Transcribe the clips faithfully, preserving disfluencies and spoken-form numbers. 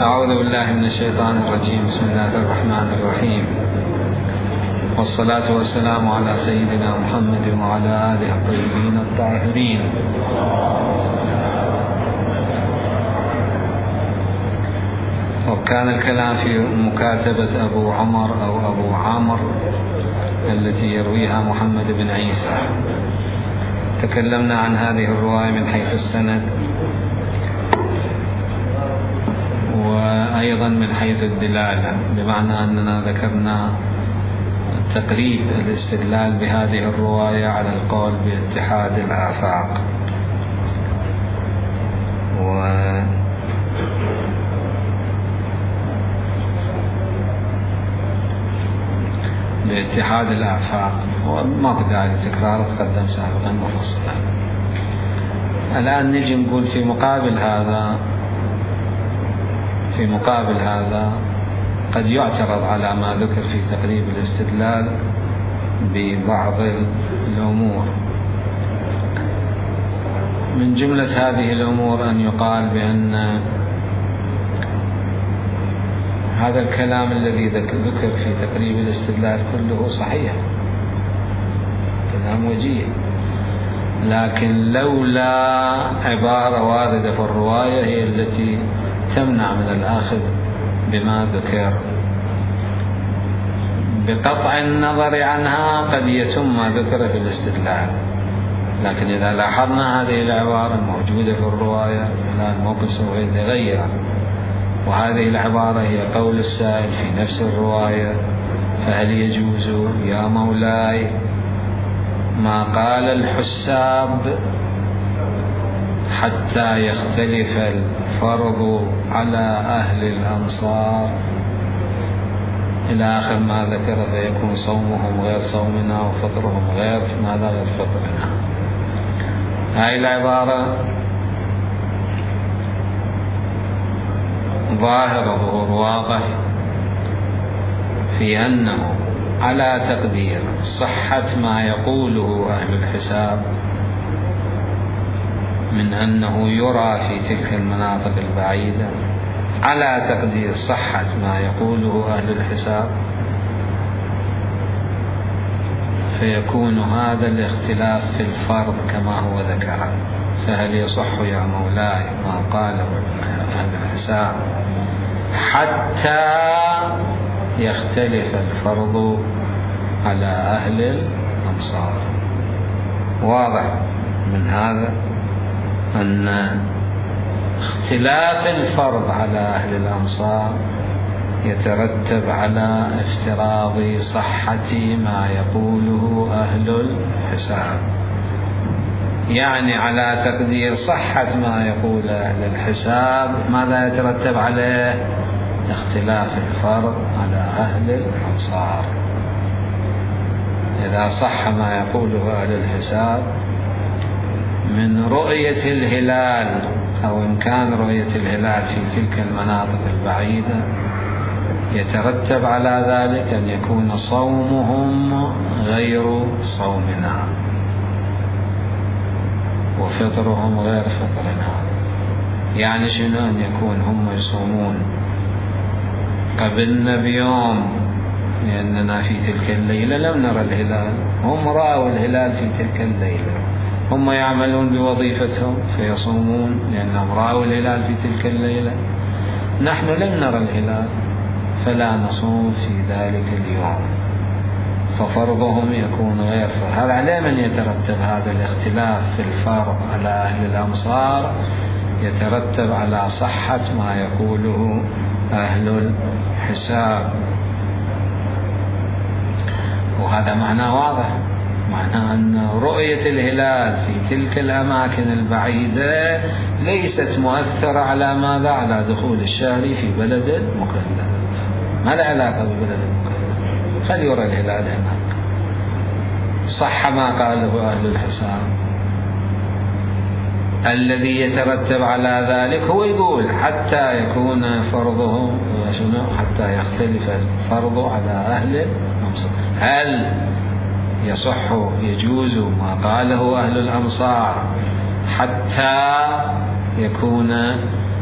أعوذ بالله من الشيطان الرجيم. بسم الله الرحمن الرحيم، والصلاة والسلام على سيدنا محمد وعلى آله الطيبين الطاهرين. وكان الكلام في مكاتبة أبو عمر أو أبو عامر التي يرويها محمد بن عيسى. تكلمنا عن هذه الرواية من حيث السند، وأيضا من حيث الدلالة، بمعنى أننا ذكرنا تقريب الاستدلال بهذه الرواية على القول باتحاد الآفاق، و باتحاد الآفاق، وما بدأ لتكرار تقدم سابقا مفصلا. الآن نجي نقول في مقابل هذا في مقابل هذا قد يعترض على ما ذكر في تقريب الاستدلال ببعض الأمور. من جملة هذه الأمور أن يقال بأن هذا الكلام الذي ذكر في تقريب الاستدلال كله صحيح، كلام وجيه، لكن لولا عبارة واردة في الرواية هي التي تمنع من الأخذ بما ذكر. بقطع النظر عنها قد يتم ما ذكر في الاستدلال، لكن إذا لاحظنا هذه العبارة الموجودة في الرواية الآن الموقف سوف يتغير، وهذه العبارة هي قول السائل في نفس الرواية: فهل يجوز يا مولاي ما قال الحساب حتى يختلف الفرض على أهل الأمصار إلى آخر ما ذكر، فيكون صومهم غير صومنا وفطرهم غير ماذا غير فطرنا. هاي العبارة ظاهر ظهور واضح في أنه على تقدير صحة ما يقوله أهل الحساب من أنه يرى في تلك المناطق البعيدة، على تقدير صحة ما يقوله أهل الحساب، فيكون هذا الاختلاف في الفرض كما هو ذكر. فهل يصح يا مولاي ما قاله أهل الحساب حتى يختلف الفرض على أهل الأمصار؟ واضح من هذا أن اختلاف الفرض على أهل الأمصار يترتب على افتراض صحة ما يقوله أهل الحساب، يعني على تقدير صحة ما يقول أهل الحساب ماذا يترتب عليه؟ اختلاف الفرض على أهل الأمصار. إذا صح ما يقوله أهل الحساب من رؤية الهلال أو إمكان رؤية الهلال في تلك المناطق البعيدة، يترتب على ذلك أن يكون صومهم غير صومنا وفطرهم غير فطرنا. يعني شنو؟ أن يكون هم يصومون قبلنا بيوم لأننا في تلك الليلة لم نرى الهلال، هم رأوا الهلال في تلك الليلة، هم يعملون بوظيفتهم فيصومون لأنهم رأوا الهلال في تلك الليلة، نحن لم نرى الهلال فلا نصوم في ذلك اليوم، ففرضهم يكون غير فرض. هذا على من يترتب هذا الاختلاف في الفرض على أهل الأمصار؟ يترتب على صحة ما يقوله أهل الحساب، وهذا معناه واضح، معناه أن رؤية الهلال في تلك الأماكن البعيدة ليست مؤثرة على ماذا؟ على دخول الشهر في بلد المكلف. ما له علاقة ببلد المكلف، خل يرى الهلال هناك. صح ما قاله أهل الحساب. الذي يترتب على ذلك هو يقول حتى يكون فرضهم شنو؟ حتى يختلف الفرض على أهل الأمصار. هل يصح يجوز ما قاله أهل الأمصار حتى يكون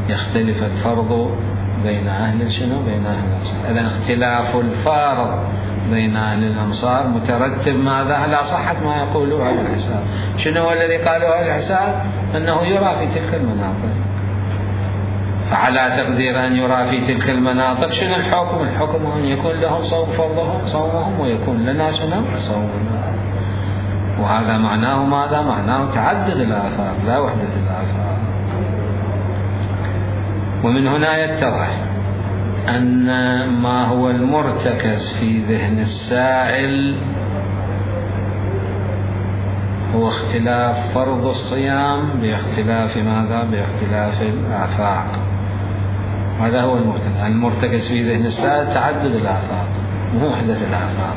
يختلف الفرض بين أهل شنو بين أهل الأمصار. إذا اختلاف الفارض بين أهل الأمصار مترتب ماذا على صحة ما يقوله أهل الحساب. شنو هو الذي قاله أهل الحساب؟ أنه يرى في تلك المناطق، فعلى تقدير أن يرى في تلك المناطق شنو الحكم؟ الحكم أن يكون لهم صوم فرضهم صومهم ويكون لنا شنو صومنا. وهذا معناه ماذا؟ معناه تعدد الآفاق لا وحدة الآفاق. ومن هنا يتضح أن ما هو المرتكز في ذهن السائل هو اختلاف فرض الصيام باختلاف ماذا؟ باختلاف الآفاق. هذا هو المرتكز. المرتكز في ذهن السائل تعدد الآفاق مو وحدة الآفاق.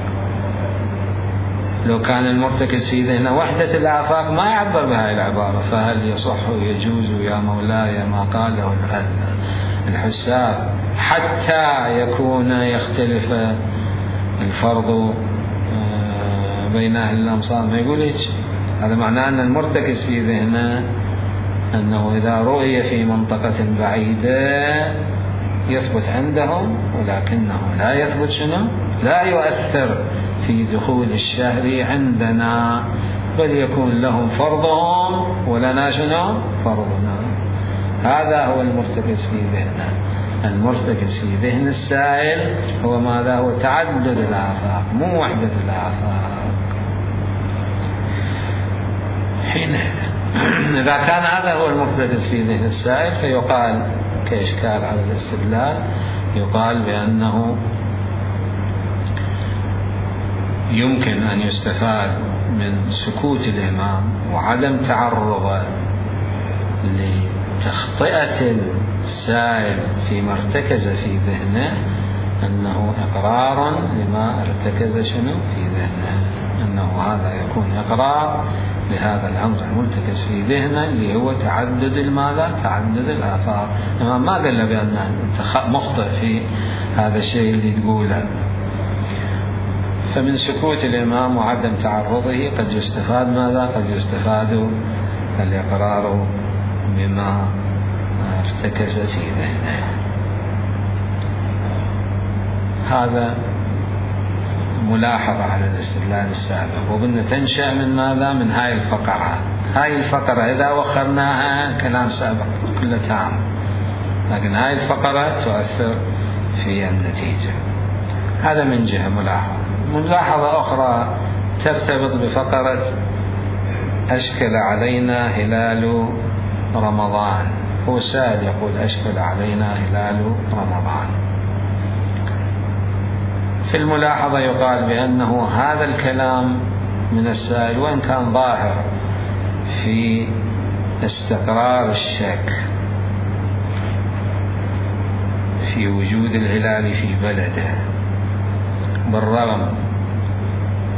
لو كان المرتكز في ذهنه وحدة الآفاق ما يعبر بهذه العبارة، فهل يصح ويجوز يا مولاي ما قاله الحساب حتى يكون يختلف الفرض بين أهل الأمصار؟ ما يقول هيك. هذا معناه أن المرتكز في ذهنه أنه إذا رؤي في منطقة بعيدة يثبت عندهم، ولكنه لا يثبت شنو؟ لا يؤثر في دخول الشهر عندنا، بل يكون لهم فرضهم ولنا شنو؟ فرضنا. هذا هو المرتكز في ذهنه. المرتكز في ذهن السائل هو ماذا؟ هو تعدد الآفاق مو وحدة الآفاق. حينئذ إذا كان هذا هو المرتكز في ذهن السائل فيقال كإشكال على الاستدلال، يقال بأنه يمكن أن يستفاد من سكوت الإمام وعدم تعرضه لتخطئة السائل فيما ارتكز في ذهنه أنه إقرار لما ارتكز شنو في ذهنه، أنه هذا يكون إقرار لهذا الأمر المرتكز في ذهنه اللي هو تعدد الماذا؟ تعدد الآفاق. الإمام ما قال له بأن أنت مخطئ في هذا الشيء اللي تقوله. فمن سكوت الإمام وعدم تعرضه قد يستفاد ماذا؟ قد يستفاد الإقرار بما ارتكز في ذهنه. هذا ملاحظة على الاستدلال السابق. وبدنا تنشأ من ماذا؟ من هاي الفقرة. هاي الفقرة إذا وخرناها كلام سابق كله تام، لكن هاي الفقرة تؤثر في النتيجة. هذا من جهة ملاحظة. ملاحظة أخرى ترتبط بفقرة أشكل علينا هلال رمضان. هو سائل يقول أشكل علينا هلال رمضان. في الملاحظة يقال بأنه هذا الكلام من السائل وإن كان ظاهر في استقرار الشك في وجود الهلال في بلده، بالرغم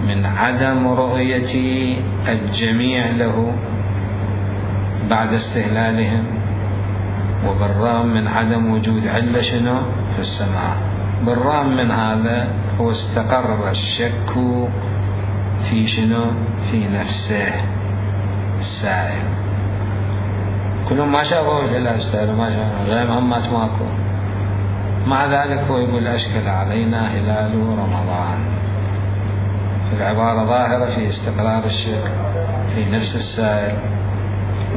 من عدم رؤية الجميع له بعد استهلالهم، وبالرغم من عدم وجود علة شنو في السماء. بالرغم من هذا هو استقر الشك في شنو في نفسه السائل. كلهم ما شافوا الهلال استهلوا ما شافوا غير مهمات ماكو، مع ذلك هو يقول أشكل علينا هلال رمضان. العبارة ظاهرة في استقرار الشك في نفس السائل،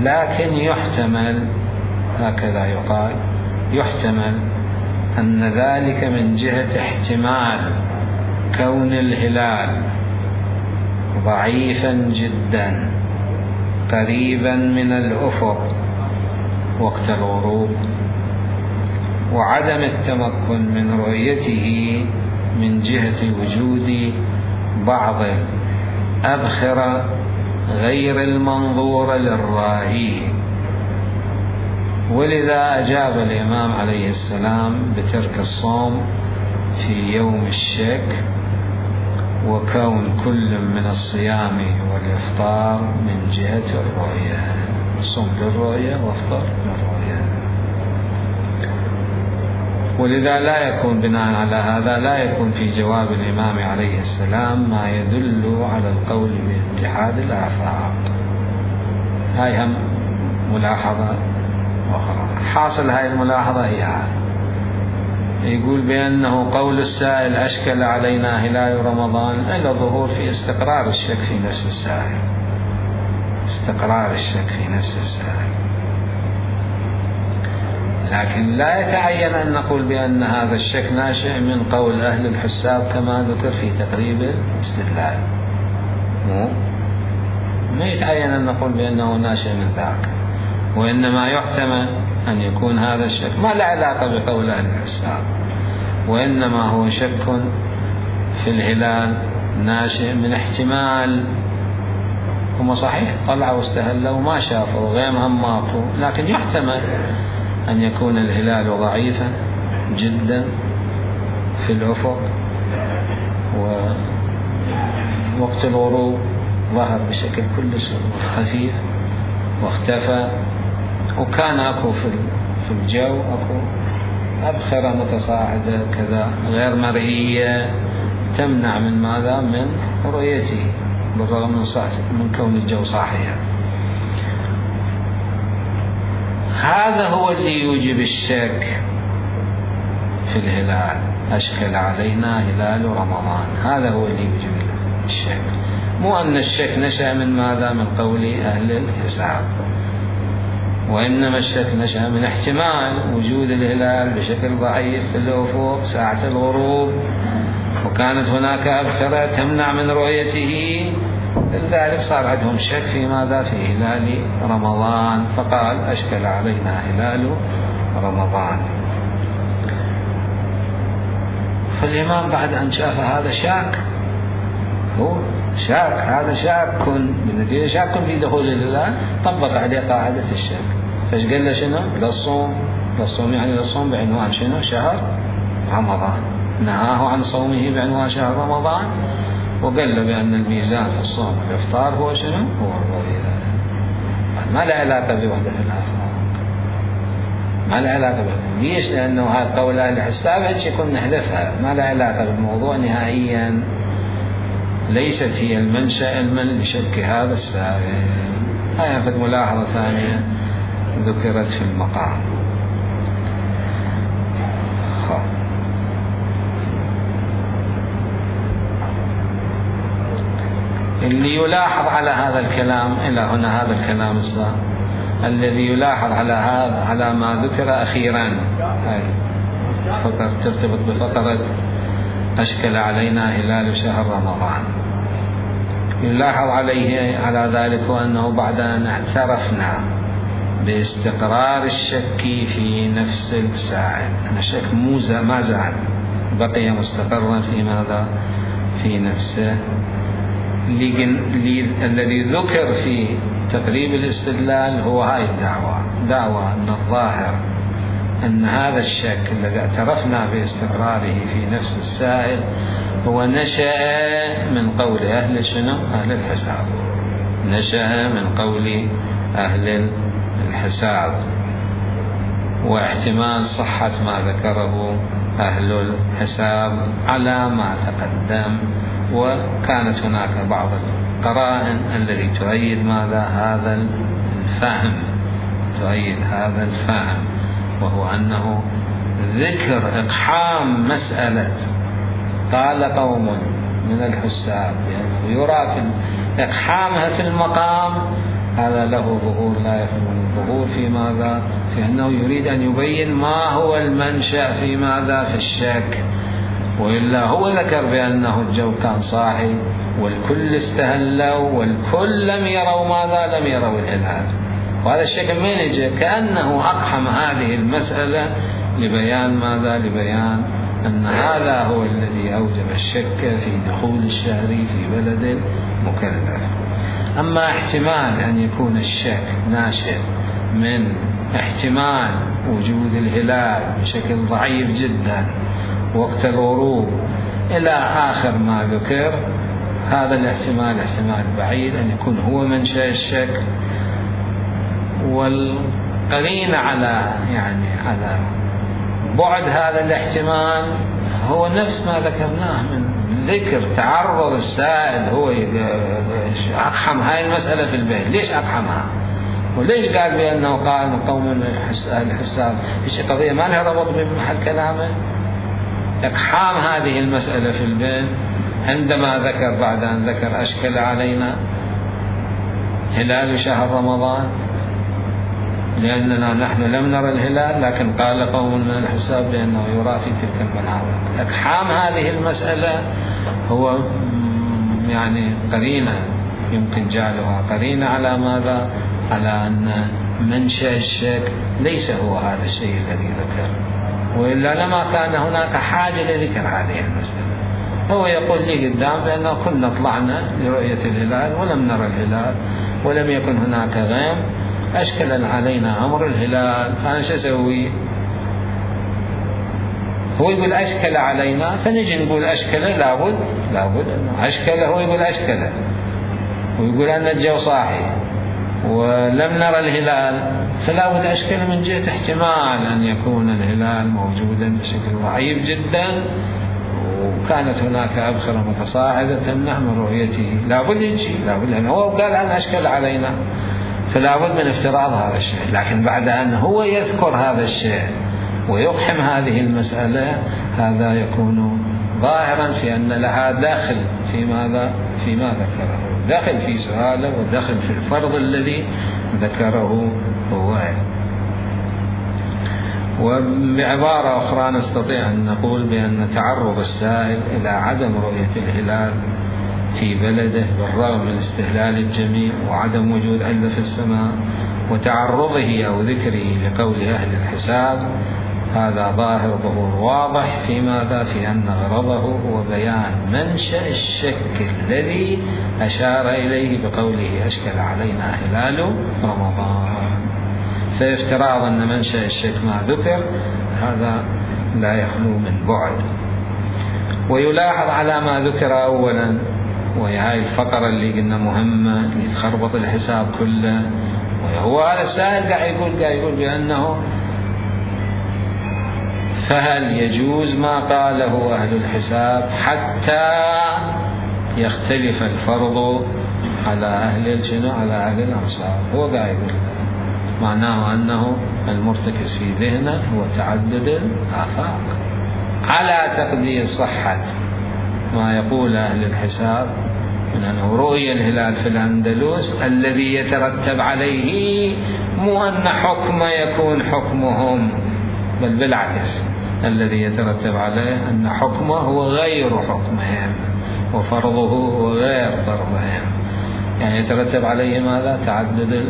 لكن يحتمل هكذا يقال يحتمل أن ذلك من جهة احتمال كون الهلال ضعيفا جدا قريبا من الأفق وقت الغروب، وعدم التمكن من رؤيته من جهة وجود بعض الأبخرة غير المنظورة للرائي. ولذا أجاب الإمام عليه السلام بترك الصوم في يوم الشك، وكون كل من الصيام والإفطار من جهة الرؤية، صم للرؤية وافطر للرؤية. ولذا لا يكون بناء على هذا لا يكون في جواب الإمام عليه السلام ما يدل على القول باتحاد الآفاق. هاي هم ملاحظة أخرى. حاصل هاي الملاحظة هي هذا يقول بأنه قول السائل أشكل علينا هلال رمضان إلى ظهور في استقرار الشك في نفس السائل، استقرار الشك في نفس السائل، لكن لا يتعين أن نقول بأن هذا الشك ناشئ من قول أهل الحساب كما ذكر في تقريب الاستدلال. مو ما يتعين أن نقول بأنه ناشئ من ذاك، وإنما يحتمل أن يكون هذا الشك ما له علاقة بقول أهل الحساب، وإنما هو شك في الهلال ناشئ من احتمال هم صحيح طلعوا واستهلوا وما شافوا غيمهم ماطوا، لكن يحتمل أن يكون الهلال ضعيفا جدا في الأفق، ووقت الغروب ظهر بشكل كلش خفيف واختفى، وكان أكو في الجو أكو أبخرة متصاعدة كذا غير مرئية تمنع من ماذا؟ من رؤيته بالرغم من, من كون الجو صاحيا. هذا هو اللي يوجب الشك في الهلال، أشكل علينا هلال رمضان، هذا هو اللي يوجب الشك، مو أن الشك نشأ من ماذا؟ من قول أهل الحساب، وإنما الشك نشأ من احتمال وجود الهلال بشكل ضعيف في الأفق ساعة الغروب، وكانت هناك أبخرة تمنع من رؤيته، لذلك صار عندهم شك في ماذا؟ في هلال رمضان، فقال أشكل علينا هلال رمضان. فالإمام بعد أن شاف هذا شاك، هو شاك، هذا شاك بالنتيجة شاك في دخول الهلال، طبق عليه قاعدة الشك، فايش قال له؟ شنو؟ للصوم، للصوم يعني للصوم بعنوان شنو؟ شهر رمضان، نهاه عن صومه بعنوان شهر رمضان، وقال له بأن الميزان في الصوم والإفطار هو شنو؟ هو الرؤية، ما له علاقة بوحدة الآفاق، ما له علاقة بوحدة. ليش؟ لأنه هذا قول أهل الحساب هيك كنا نحلفها، ما له علاقة بالموضوع نهائيا، ليست هي المنشأ المن لشك هذا السائل. هاي قد ملاحظة ثانية ذكرت في المقام. اللي يلاحظ على هذا الكلام إلى هنا، هذا الكلام الصار الذي يلاحظ على هذا على ما ذكر أخيرا، هاي فقط ترتبط بفقرة أشكل علينا هلال شهر رمضان، يلاحظ عليه على ذلك وأنه بعد أن اعترفنا باستقرار الشك في نفس السائل، أن الشك مو ما زال بقي مستقرا في ماذا؟ في نفسه. الذي ذكر في تقريب الاستدلال هو هاي الدعوة، دعوة أن الظاهر أن هذا الشك الذي اعترفنا باستقراره في نفس السائل هو نشأ من قول أهل شنو؟ أهل الحساب، نشأ من قول أهل الحساب، واحتمال صحة ما ذكره أهل الحساب على ما تقدم، وكانت هناك بعض القرائن التي تؤيد ماذا؟ هذا الفهم، تؤيد هذا الفهم، وهو أنه ذكر إقحام مسألة قال قوم من الحساب يرى في إقحامها في المقام، هذا له ظهور لا يفهم الظهور في ماذا؟ في أنه يريد أن يبين ما هو المنشأ في ماذا؟ في الشك، وإلا هو ذكر بأنه الجو كان صاحي والكل استهلوا والكل لم يروا ماذا؟ لم يروا الهلال، وهذا الشك من يجي؟ كأنه أقحم هذه المسألة لبيان ماذا؟ لبيان أن هذا هو الذي أوجب الشك في دخول الشهر في بلد مكلف. أما احتمال أن يكون الشك ناشئ من احتمال وجود الهلال بشكل ضعيف جدا وقت الغروب إلى آخر ما ذكر، هذا الاحتمال احتمال بعيد أن يكون هو منشأ الشك، والقرينة على يعني على بعد هذا الاحتمال هو نفس ما ذكرناه من ذكر تعرض السائل، هو أقحم هاي المسألة في البيت. ليش أقحمها؟ وليش قال بأنه قال من قوم أهل الحساب؟ إيش قضية ما لها ربط بمحل كلامه؟ إقحام هذه المسألة في البين عندما ذكر بعد أن ذكر أشكل علينا هلال شهر رمضان لأننا نحن لم نرى الهلال، لكن قال قوم من الحساب بأنه يرى في تلك المناطق. إقحام هذه المسألة هو يعني قرينة يمكن جعلها قرينة على ماذا؟ على أن منشأ الشك ليس هو هذا الشيء الذي ذكر، وإلا لما كان هناك حاجة لذكر هذه المسألة. هو يقول لي قدام بأنه كنا طلعنا لرؤية الهلال ولم نرى الهلال ولم يكن هناك غيم، أشكل علينا أمر الهلال، فأنا شو أسوي؟ هو يقول أشكل علينا، فنجي نقول أشكل لابد لابد أنه أشكل، هو يقول أشكل ويقول أن الجو صاحي ولم نرى الهلال، فلا بد أشكل من جهة احتمال أن يكون الهلال موجودا بشكل ضعيف جدا، وكانت هناك أبخرة متصاعدة تمنع من رؤيته، لا بد يجي، لا بد، لأنه هو قال أن أشكل علينا، فلا بد من افتراض هذا الشيء. لكن بعد أن هو يذكر هذا الشيء ويقحم هذه المسألة، هذا يكون ظاهرا في أن لها داخل في ماذا؟ فيما ذكره، داخل في سؤاله وداخل في الفرض الذي ذكره هو. وبعبارة أخرى نستطيع أن نقول بأن تعرض السائل إلى عدم رؤية الهلال في بلده بالرغم من استهلال الجميع وعدم وجود علة في السماء وتعرضه أو ذكره لقول أهل الحساب، هذا ظاهر ظهور واضح في ماذا؟ في أن غرضه هو بيان منشأ الشك الذي أشار إليه بقوله أشكل علينا هلال رمضان. فافتراض أن منشأ الشك ما ذكر هذا لا يخلو من بعد. ويلاحظ على ما ذكر أولا، وهي هاي الفقرة اللي قلنا مهمة يتخربط الحساب كله، وهو هذا السائل قاعد يقول قاعد يقول بأنه فهل يجوز ما قاله أهل الحساب حتى يختلف الفرض على أهل الجنة على أهل الأمصار؟ هو قاعد يقول معناه أنه المرتكز في ذهنه هو تعدد الآفاق، على تقدير صحة ما يقول أهل الحساب من أنه رؤية الهلال في الأندلس الذي يترتب عليه مو أن حكم يكون حكمهم، بل بالعكس الذي يترتب عليه أن حكمه هو غير حكمهم وفرضه هو غير فرضهم، يعني يترتب عليه ماذا؟ تعدد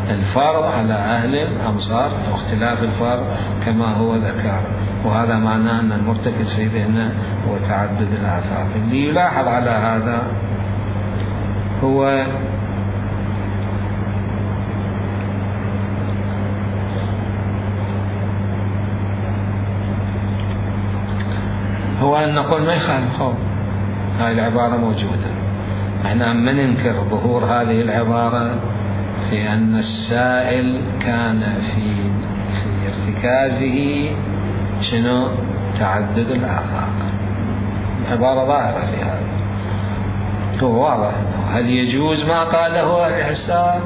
الفرض على أهل الأمصار واختلاف الفرض كما هو ذكر، وهذا معناه أن المرتكز في ذهنه هو تعدد الآفاق. اللي يلاحظ على هذا هو هو أن نقول ما يخالف، هاي العبارة موجودة، احنا ما ننكر ظهور هذه العبارة في أن السائل كان في في ارتكازه شنو؟ تعدد الآفاق. عبارة ظاهرة في هذا، هو واضح. هل يجوز ما قاله الحساب؟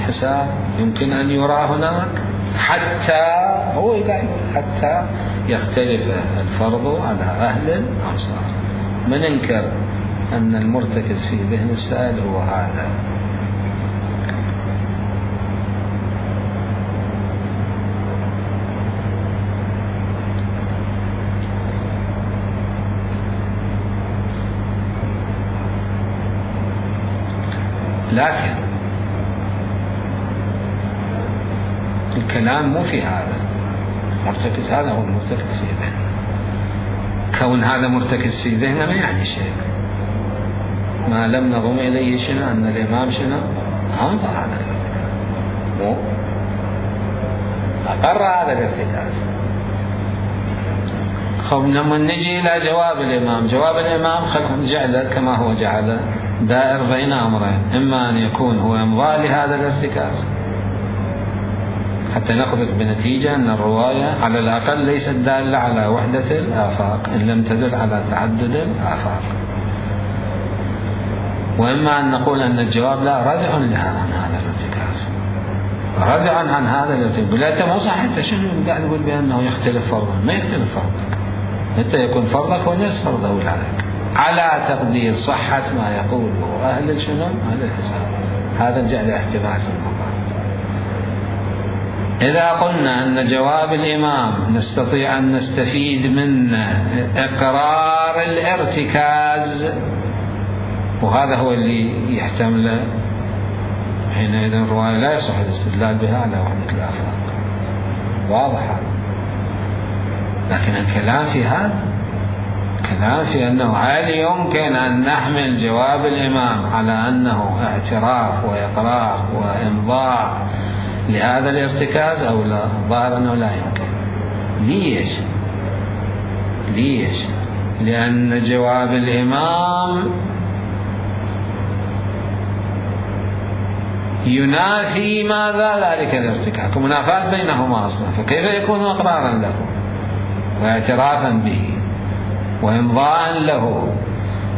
حساب يمكن أن يرى هناك حتى هو يقول حتى يختلف الفرض على أهل الأمصار. ما ننكر أن المرتكز في ذهن السائل هو هذا. لكن الكلام مو في هذا، مرتكز هذا هو المرتكز في ذهنه. كون هذا مرتكز في ذهنه ما يعني شيء، ما لم نضم إليه شنو؟ أن الإمام شنو؟ أنظر هذا الارتكاز، مو أقر هذا الارتكاز. خب لما نجي إلى جواب الإمام، جواب الإمام خلهم جعله كما هو جعله دائر بين أمرين، إما أن يكون هو يمضى لهذا الارتكاز حتى نخرج بنتيجة أن الرواية على الأقل ليست دالة على وحدة الآفاق إن لم تدل على تعدد الآفاق، وإما أن نقول أن الجواب لا ردع لها عن هذا الارتكاز، ردع عن هذا الارتكاز. بلا مو صح، أنت شنو قاعد تقول بأنه يختلف فرضا؟ ما يختلف فرضا، متى يكون فرضك ونصف فرض أولادك، على تقدير صحة ما يقوله أهل الشنو؟ أهل الحساب. هذا الجعل احتمال في المقام. إذا قلنا أن جواب الإمام نستطيع أن نستفيد منه إقرار الارتكاز، وهذا هو اللي يحتمل، حينئذ الرواية لا يصح الاستدلال بها على وحدة الآفاق. واضح هذا. لكن الكلام في هذا، الكلام في أنه هل يمكن أن نحمل جواب الإمام على أنه اعتراف وإقرار وإمضاء لهذا الارتكاز أو لا؟ ظاهر أنه لا يمكن. ليش؟ ليش؟ لأن جواب الإمام ينافي ماذا؟ ذلك الارتكاز، ومنافاة بينهما أصلا، فكيف يكون إقرارا له واعترافا به وإمضاء له؟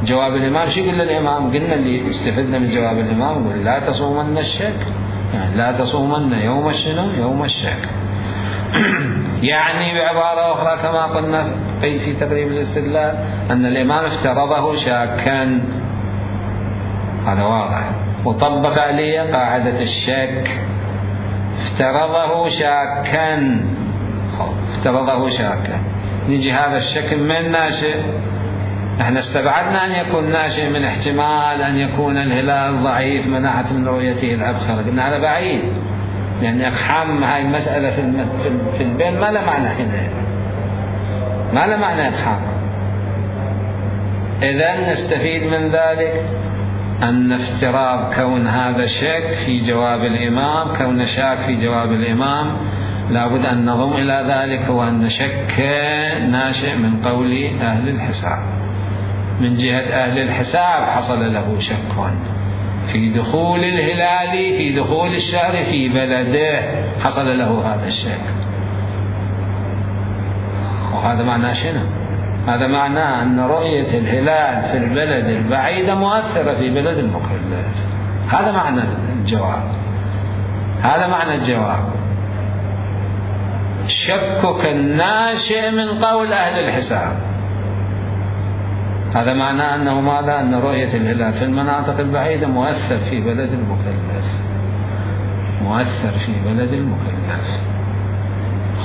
جواب الإمام شو يقول للإمام؟ قلنا اللي استفدنا من جواب الإمام يقول لا تصومن الشك، يعني لا تصومن يوم الشنو؟ يوم الشك. يعني بعبارة أخرى كما قلنا في تقريب الاستدلال أن الإمام افترضه شاكا، هذا واضح، وطبق عليه قاعدة الشك، افترضه شاكا، افترضه شاكا. نجي هذا الشك من ناشئ؟ احنا استبعدنا أن يكون ناشئ من احتمال أن يكون الهلال ضعيف مناعة من رؤيته الأبخر، قلنا هذا بعيد، لأن إقحام هاي المسألة في المس... في البين ما له معنى حينئذ، ما له معنى إقحام. إذن نستفيد من ذلك أن افتراض كون هذا شك في جواب الإمام، كون شاك في جواب الإمام، لابد أن نضم إلى ذلك هو أن شك ناشئ من قول أهل الحساب. من جهة أهل الحساب حصل له شك في دخول الهلال، في دخول الشهر في بلده، حصل له هذا الشك. وهذا معناه شنو؟ هذا معناه أن رؤية الهلال في البلد البعيدة مؤثرة في بلد المكلف. هذا معنى الجواب، هذا معنى الجواب. شكك الناشئ من قول أهل الحساب، هذا معناه أنه ماذا؟ أن رؤية الهلال في المناطق البعيدة مؤثر في بلد المكلف، مؤثر في بلد المكلف.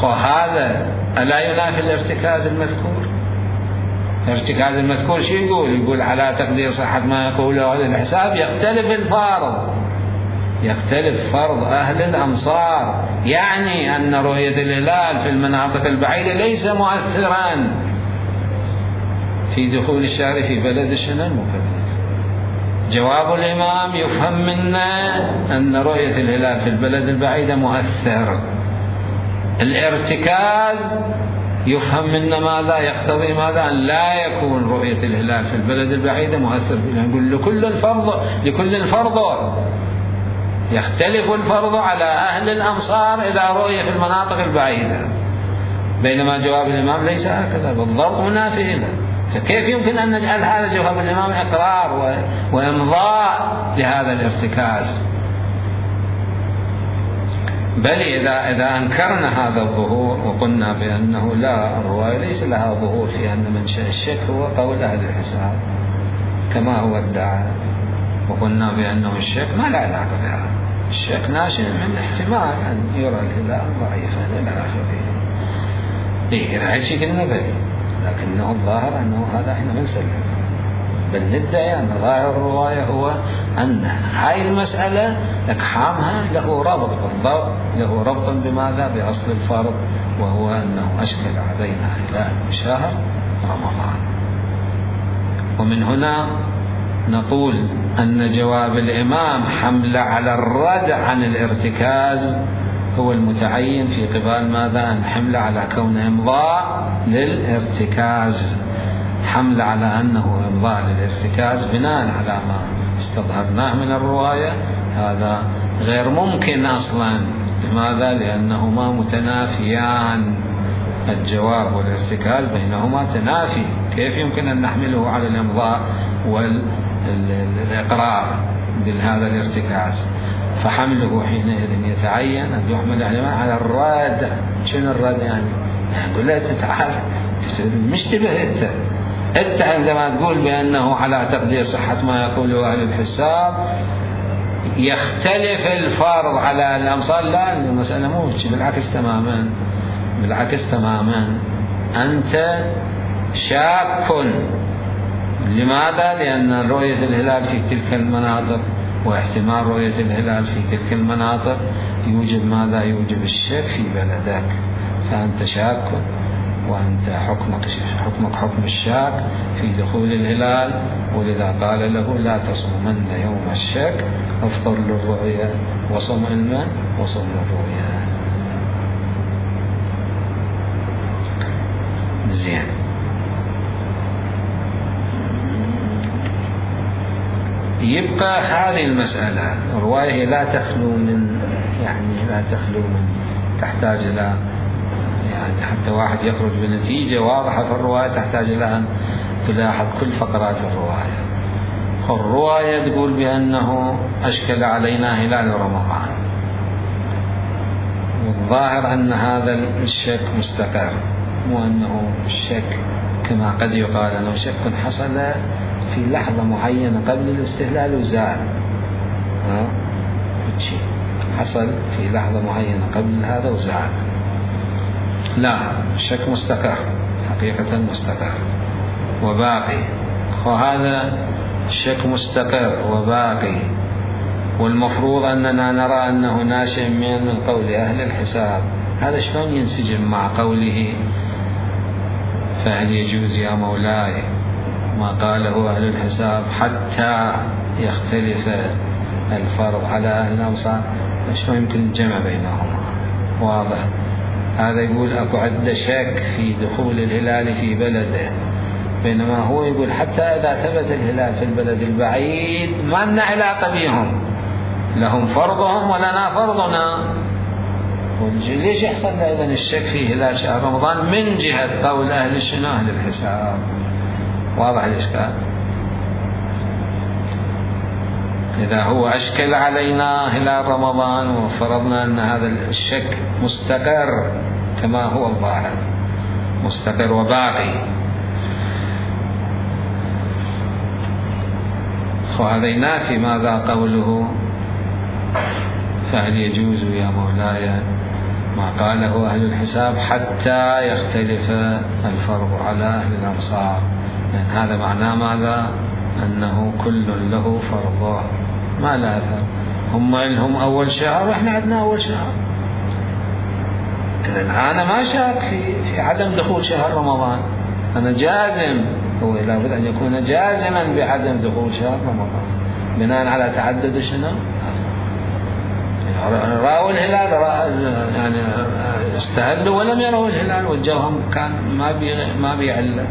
هذا ألا ينافي الارتكاز المذكور؟ الارتكاز المذكور شو يقول؟ يقول على تقدير صحة ما يقوله أهل الحساب يختلف الفرض، يختلف فرض أهل الأمصار، يعني أن رؤية الهلال في المناطق البعيدة ليس مؤثرا في دخول الشهر في بلد الشنو المكلف. جواب الإمام يفهم منا أن رؤية الهلال في البلد البعيدة مؤثر. الارتكاز يفهم منا ماذا؟ يقتضي ماذا؟ أن لا يكون رؤية الهلال في البلد البعيدة مؤثر. نقول لكل فرض، لكل فرض يختلف الفرض على أهل الأمصار إذا رؤية في المناطق البعيدة، بينما جواب الإمام ليس هكذا، بالضبط منافي له. فكيف يمكن أن نجعل هذا جواب الإمام إقرار وإمضاء لهذا الارتكاز؟ بل إذا إذا أنكرنا هذا الظهور وقلنا بأنه لا، الرواية ليس لها ظهور في أن منشأ الشك هو قول أهل الحساب كما هو ادعى، وقلنا بأنه الشك ما له علاقة بها، الشك ناشئ من احتمال أن يرى الهلال ضعيفا إلى آخره. إيه إذا هذا شيء قلنا به، لكنه الظاهر أنه هذا إحنا ما نسلم، بل ندعي أن ظاهر الرواية هو أن هاي المسألة إقحامها له ربط، بالضبط له ربط بماذا؟ بأصل الفرض، وهو أنه أشكل علينا هلال شهر رمضان. ومن هنا نقول أن جواب الإمام حمل على الرد عن الارتكاز هو المتعين في قبال ماذا؟ أن حمل على كون إمضاء للارتكاز، حمل على أنه إمضاء للارتكاز بناء على ما استظهرناه من الرواية، هذا غير ممكن أصلا. لماذا؟ لأنهما متنافيان، الجواب والارتكاز بينهما تنافي، كيف يمكن أن نحمله على الإمضاء والإقرار بهذا الارتكاز؟ فحمله حينئذ يتعين أن يحمل على الرد. شنو الرد يعني؟ نقول له تعال مشتبه أنت أنت عندما تقول بأنه على تقدير صحة ما يقوله أهل الحساب يختلف الفرض على الأمصار. لا، المسألة مو بالعكس تماما، بالعكس تماما. أنت شاك. لماذا؟ لأن رؤية الهلال في تلك المناطق واحتمال رؤية الهلال في تلك المناطق يوجب ماذا؟ يوجب الشك في بلدك، فأنت شاك، وأنت حكمك حكمك حكم الشاك في دخول الهلال، ولذا قال له لا تصومن يوم الشك، افطر للرؤيا وصم علما وصم للرؤيا. زين. يبقى هذه المسألة الرواية لا تخلو من يعني لا تخلو من تحتاج إلى يعني حتى واحد يخرج بنتيجة واضحة في الرواية تحتاج إلى أن تلاحظ كل فقرات الرواية. الرواية تقول بأنه أشكل علينا هلال رمضان، والظاهر أن هذا الشك مستقر، مو أنه الشك كما قد يقال أنه شك حصل في لحظة معينة قبل الاستهلال وزال. ها شيء حصل في لحظة معينة قبل هذا وزال. لا، الشك مستقر، حقيقة مستقر وباقي. وهذا الشك مستقر وباقي، والمفروض أننا نرى أنه ناشئ من قول أهل الحساب. هذا شلون ينسجم مع قوله فهل يجوز يا مولاي ما قاله أهل الحساب حتى يختلف الفرض على أهل الأمصار؟ شلون يمكن الجمع بينهما؟ واضح. هذا يقول أكو عدة شك في دخول الهلال في بلده، بينما هو يقول حتى إذا ثبت الهلال في البلد البعيد ما لنا علاقة بهم، لهم فرضهم ولنا فرضنا. ليش يحصل أيضا الشك في هلال شهر رمضان من جهة قول أهل شنو؟ أهل الحساب. واضح الإشكال؟ إذا هو أشكل علينا هلال رمضان وفرضنا أن هذا الشك مستقر كما هو الظاهر، مستقر وباقي، وهذا ينافي ماذا قوله فهل يجوز يا مولاي ما قاله أهل الحساب حتى يختلف الفرض على أهل الأمصار، لأن هذا معناه ماذا؟ أنه كل له فرضه ما لا أثر. هم لهم أول شهر وإحنا عندنا أول شهر. إذن أنا ما شاك في في عدم دخول شهر رمضان، أنا جازم، هو لابد أن يكون جازما بعدم دخول شهر رمضان بناء على تعدد شنو؟ رأوا الهلال، يعني استهلوا ولم يروا الهلال والجوهم كان ما بي ما بيعله،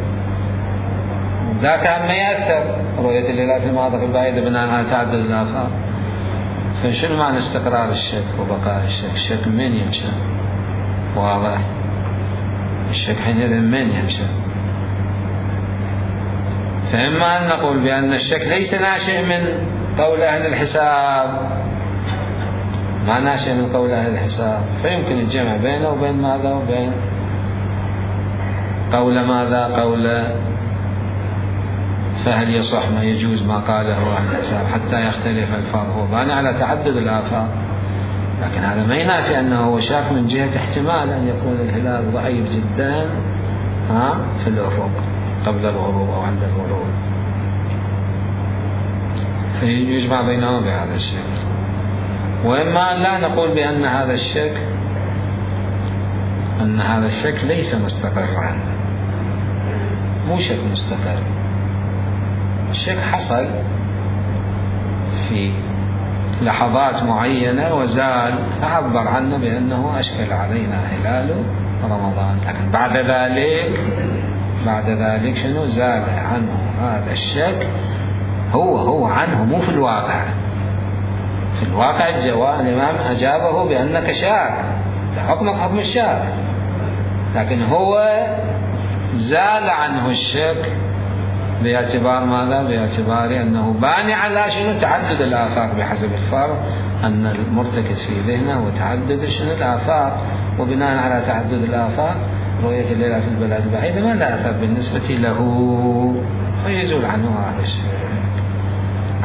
ذا كان ما يأثر رؤية الهلال في المناطق البعيدة بناء على تعدد الآفاق. فشنو معنى استقرار الشك وبقاء الشك؟ الشك من ينشأ؟ واضح. الشك حينئذ من ينشأ؟ فإما أن نقول بأن الشك ليس ناشئ من قول أهل الحساب، ما ناشئ من قول أهل الحساب، فيمكن الجمع بينه وبين ماذا؟ وبين قول ماذا؟ قول فهل يصح ما يجوز ما قاله أهل الحساب حتى يختلف الفرض، هو باني على تعدد الآفاق، لكن هذا ما ينافي أنه هو شاك من جهة احتمال أن يكون الهلال ضعيف جدا ها في الأفق قبل الغروب أو عند الغروب، فيجمع بينهما بهذا الشكل. وإما أن لا نقول بأن هذا الشك أن هذا الشك ليس مستقرا، مو شك مستقر، الشك حصل في لحظات معينة وزال، أعبر عنه بأنه أشكل علينا هلال رمضان، لكن بعد ذلك بعد ذلك شنو؟ زال عنه هذا الشك، هو هو عنه، مو في الواقع. في الواقع الجواب الإمام أجابه بأنك شاك، حكمك حكم الشاك، لكن هو زال عنه الشك باعتبار ماذا؟ باعتبار أنه باني على شنو؟ تعدد الآفاق بحسب الفرض، أن المرتكز في ذهنه وتعدد شنو؟ الآفاق، وبناء على تعدد الآفاق رؤية الهلال في البلاد البعيدة ما لا أثر بالنسبة له، فيزول عنه هذا الشيء.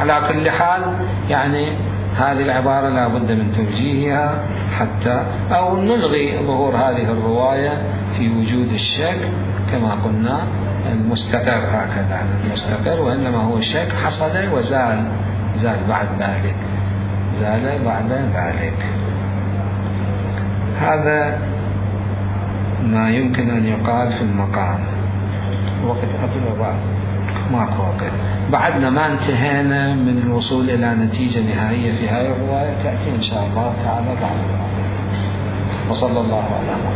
على كل حال يعني هذه العبارة لا بد من توجيهها حتى أو نلغي ظهور هذه الرواية في وجود الشك كما قلنا المستقر، هكذا المستقر، وإنما هو الشك حصل وزال، زال بعد ذلك، زال بعد ذلك. هذا ما يمكن أن يقال في المقام. وقت قبل وبعد ماكو وقت، بعدنا ما انتهينا من الوصول إلى نتيجة نهائية في هذه الرواية، تأتي إن شاء الله تعالى بعد. وصلى الله على محمد.